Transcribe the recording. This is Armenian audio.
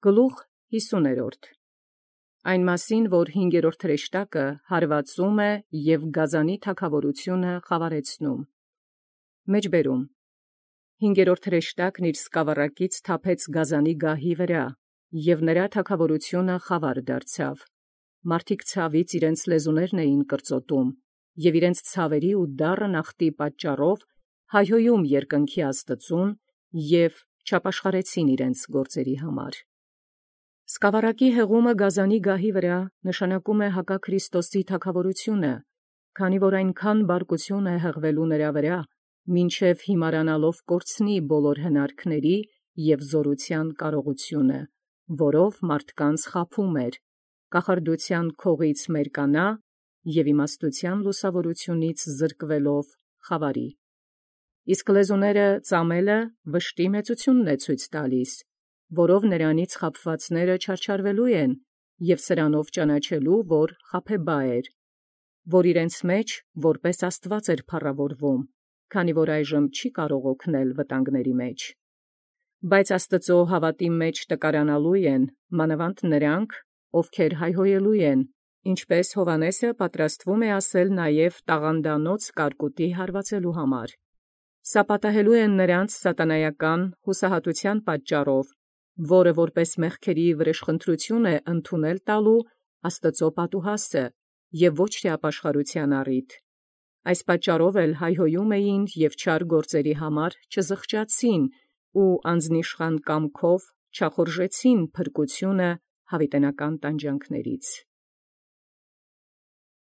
Գլուխ 50. Այն մասին, որ 5-րդ հրեշտակը հարվածում է և գազանի թագաւորութիւնը խաւարեցնում։ Մեջբերում. 5-րդ հրեշտակն իր սկավառակից թափեց գազանի գահի վրա, և նրա թագաւորութիւնը խաւար դարձավ։ Մարդիկ ցաւից իրենց լեզուներն էին կրծոտում, և իրենց ցաւերի ու դառն ախտի պատճառով հայհոյում երկնքի Աստուծոյ և չապաշխարեցին իրենց գործերի համար։ Սկավառակի հեղումը գազանի գահի վրա նշանակում է հակաքրիստոսի թագաւորութիւնը, քանի որ այնքան բարկութիւն է հեղվելու նրա վրա, մինչև հիմարանալով կորցնի բոլոր հնարքների և զօրութեան կարողութիւնը, որով մարդկանց խաբում էր, կախարդութեան քողից մերկանա և իմաստութեան լուսաւորութիւնից զրկվելով խաւարի։ Իսկ լեզուները ծամելը վշտի մեծութիւնն է ցույց տալիս, որով նրանից խաբվածները չարչարվելու են, և սրանով ճանաչելու, որ խաբեբայ էր, որ իրենց մեջ որպէս աստուած էր փառաւորվում, քանի որ այժմ չի կարող օգնել վտանգաց մեջ։ Բայց Աստուծոյ հաւատի մեջ տկարանալու են մանաւանդ նոցին, ովքեր հայհոյելու են, ինչպէս Յովհաննէս պատրաստվում է ասել նաև տաղանդանոց կարկուտի հարվածելու համար։ Սա պատահելու է նրանց սատանայական յուսահատութեան պատճառով, որը որպէս մեղքերի վրեժխնդրութիւն է ընդունել տալու Աստուծոյ պատուհասը, և ոչ թե ապաշխարութեան առիթ։ Այս պատճառով էլ հայհոյում էին և չար գործերի համար չզղջացին ու անձնիշխան կամքով չախորժեցին փրկութիւնը յաւիտենական տանջանքներից։